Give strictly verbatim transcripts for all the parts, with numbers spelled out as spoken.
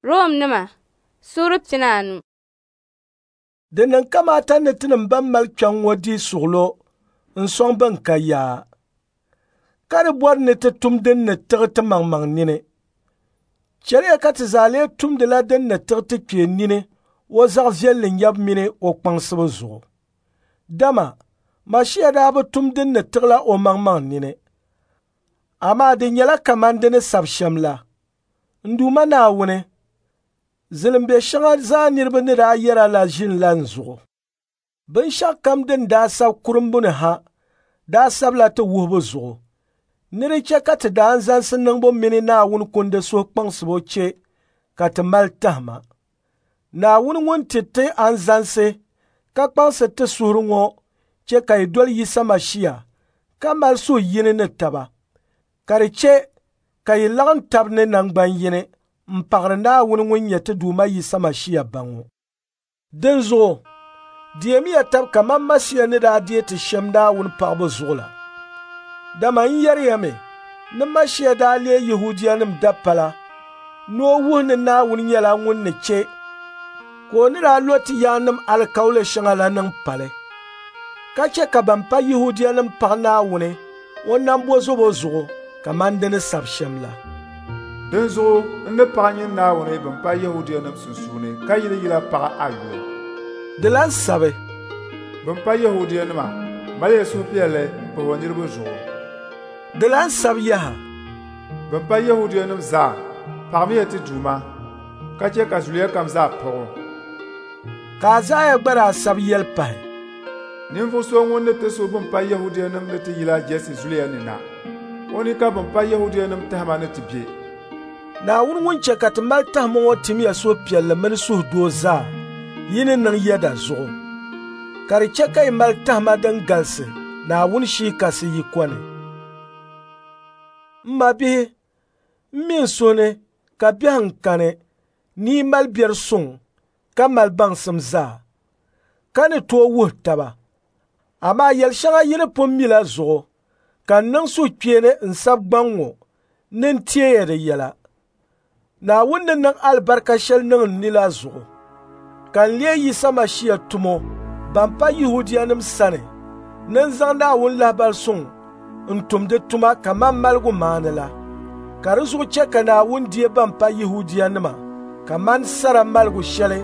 Romnima suura pinaanu. Di niŋ kamaata ni tinim ban mali kpiɔŋ ŋɔ di suɣulo n-sɔŋ bɛn ka yaa, ka di bɔri ni ti tum din ni tiɣi timaŋmaŋ nini. Chɛliya ka ti zaa lee tumdila din ni tiɣi ti kpee nini o zaɣ viɛlli nyabu mini o kpaŋsibu zuɣu. Dama Mashia daa bi tum din ni tiɣila omaŋmaŋ nini, amaa di nyɛla kaman di ni sabi shɛm la. N Duuma Naawuni, zilimbe shɛŋa zaa niriba ni daa yɛra la ʒinila n zuɣu. Binshɛɣukam din daa sabi kurumbuni ha daa sabila ti wuhibu zuɣu, ni di chɛ ka ti daanzalisi niŋbu mini Naawuni kundi suhukpaŋsibo chɛ ka ti mali tahima. Naawuni ŋun ti ti anzalisi ka kpaŋsi ti suhuri ŋɔ chɛ ka yi doli Yisa Mashia ka mali suhu yini ni taba, ka di chɛ ka yi laɣim tab ni naŋgban yini m-paɣiri Naawuni ŋun nyɛ ti Duuma Yisa Mashia Ba ŋɔ. Dinzuɣu, deemiya tab kaman Mashia ni daa deei ti shɛm Naawuni paɣibu zuɣu la. Dama n yɛri ya mi ni Mashia daa leei Yɛhudianim dapala ni o wuhi ni Naawuni nyɛla ŋun ni chɛ ka o ni daa lo ti yaannim alikauli shɛŋa la niŋ pali, ka chɛ ka ban pa Yɛhudianim paɣi Naawuni o nambɔzɔbo zuɣu kaman di ni sabi shɛm la. Dinzuɣu n ni paɣi nyin Naawuni bɛn pa Yɛhudianim sunsuuni ka yili yila paɣi a yuli. Di lan sabi, Bɛn pa Yɛhudianima, maliya suhupiɛlli m-pahi o niriba zuɣu. Di lan sabi yaha, Bɛn pa Yɛhudianim zaa, paɣimiya ti Duuma, ka chɛ ka zuliya kam zaa paɣ o. Ka Aizaia gba daa sabi yɛli pahi, Ninvuɣ so ŋun ni ti su bɛn pa Yɛhudianim ni ti yila Jɛsi zuliya ni na. O ni ka bɛn pa Yɛhudianim tahima ni ti be. Naawuni ŋun chɛ ka ti mali tahima ŋɔ timiya suhupiɛlli mini suhudoo zaa yi ni niŋ yɛda zuɣu, ka di chɛ ka yi mali tahima din galisi Naawuni Shii Kasi yiko ni. M mabihi, m mi n suhu ni ka biɛhiŋ kani ni yi mali biɛri suŋ ka mali baŋsim zaa, ka ni tooi wuhi taba. Amaa yɛl shɛŋa yi ni pun mi la zuɣu ka n niŋ suhukpeeni n sabi gbaŋ ŋɔ ni n teeya di yɛla. Naawuni ni niŋ alibarika shɛli niŋ n ni la zuɣu, ka n leei Yisa Mashia tumo ban pa Yɛhudianim sani ni n zaŋ Naawuni lahibal suŋ n tum di tuma kaman maligu maani la. Ka di zuɣu chɛ ka Naawuni deei ban pa Yɛhudianima kaman sara maligu shɛli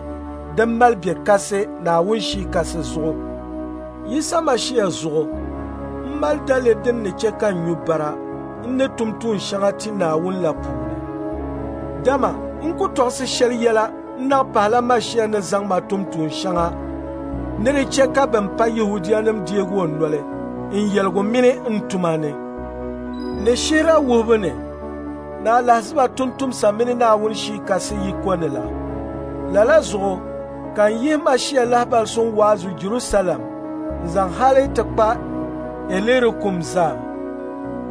din mali be kasi Naawuni Shii Kasi zuɣu. Yisa Mashia zuɣu, m mali daliri din ni chɛ ka n nyu bara n ni tum tuun shɛŋa ti Naawuni la puuni. Dama n ku tɔɣisi shɛli yɛla n naɣ pahila Mashia ni zaŋ ma tum tuun shɛŋa ni di chɛ ka bɛn pa Yɛhudianim deegi o noli n yɛligu mini n tuma ni, ni shihira wuhibu ni, ni alahiziba tumtumsa mini Naawuni Shii Kasi yiko ni la. Lala zuɣu ka n yihi Mashia lahibal suŋ waazu Jɛrusalɛm n-zaŋ hali ti kpa Ilirikum zaa.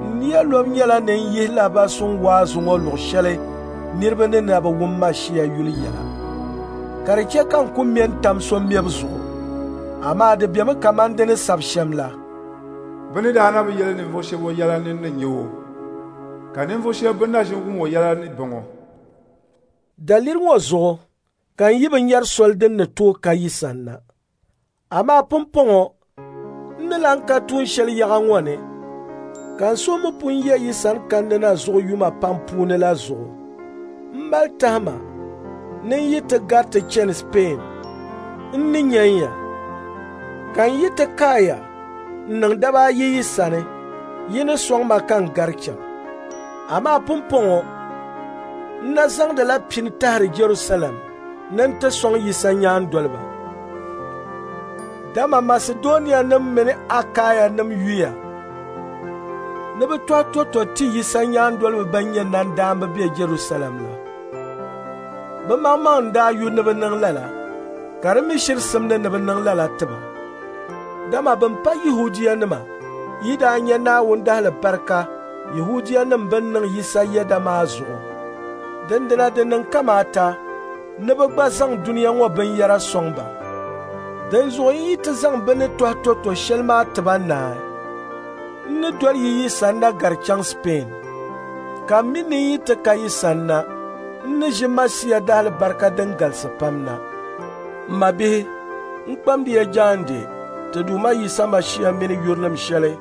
N nia lobu nyɛla ni n yihi lahibal suŋ waazu ŋɔ luɣ shɛli niriba ni na bi wum Mashia yuli yɛla, ka di chɛ ka n ku ŋme n-tam so mɛbu zuɣu, amaa di bemi kaman di ni sabi shɛm la. Bɛ ni daa na bi yɛli ninvuɣ shɛba o yɛla ni ni nya o, ka ninvuɣ shɛba bɛn na ʒin wum o yɛla ni bɔŋɔ. Daliri ŋɔ zuɣu ka n yi bi nyari soli din ni tooi ka yi sanna. Amaa pumpɔŋɔ n ni lan ka tuun shɛli yaɣa ŋɔ ni, ka n suhu mi pun ye yi sani kandi na zuɣu yuma pam puuni la zuɣu, m mali tahima ni n yi ti gariti chani Speen, n ni nyan ya. Ka n yi ti kaaya n niŋ daba ayi yi sani, yi ni sɔŋ ma ka n gari chaŋ. Amaa pumpɔŋɔ n na zaŋdila pini tahiri Jɛrusalɛm ni n ti sɔŋ Yisa nyaandoliba. Dama Masidonianim mini Akaianim yuya ni bɛ tɔhi tɔto ti Yisa nyaandoliba bɛn nyɛ nandaamba be Jɛrusalɛm la. Bɛ maŋmaŋ n-daa yu ni bɛ niŋ lala, ka di mi shiri simdi ni bɛ niŋ lala ti ba. Dama bɛn pa Yɛhudianima yi daa nya Naawuni dahalibarika Yɛhudianim bɛn niŋ Yisa yɛda maa zuɣu, dindina di niŋ kamaata ni bɛ gba zaŋ dunia ŋɔ binyɛra sɔŋ ba. Dinzuɣu n yi ti zaŋ bɛ ni tɔhi tɔto shɛli maa ti ba naai, n ni doli yi yi sanna gari chaŋ Speen. Ka m mi ni n yi ti ka yi sanna, N ni ʒi Masia daalibarika din galisi pam na. M mabihi, n kpamdi ya jaande ti Duuma Yisa Masia mini yurilim shɛli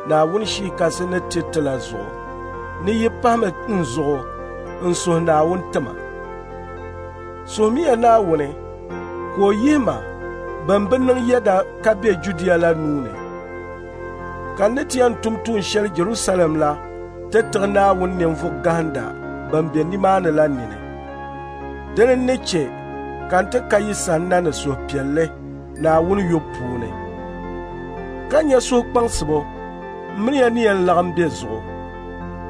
Naawuni Shii Kasi ni ti ti la zuɣu, ni yi pahimi n zuɣu n suhi Naawuni ti ma. Suhimiya Naawuni ka o yihi ma bɛn bi niŋ yɛda ka be Judia la nuu ni, ka n ni ti yɛn tum tuun shɛli Jɛrusalɛm la ti tiɣi Naawuni ninvuɣ gahinda bɛn be nimaani la nini. Dini n-ni chɛ ka n ti ka yi sanna ni suhupiɛlli Naawuni yubu puuni, ka nya suhukpaŋsibo m mini ya ni yɛn laɣim be zuɣu.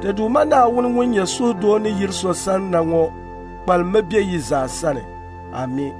Ti Duuma Naawuni ŋun nyɛ suhudoo ni yiri so sanna ŋɔ kpalimmi be yi zaa sani. Ami.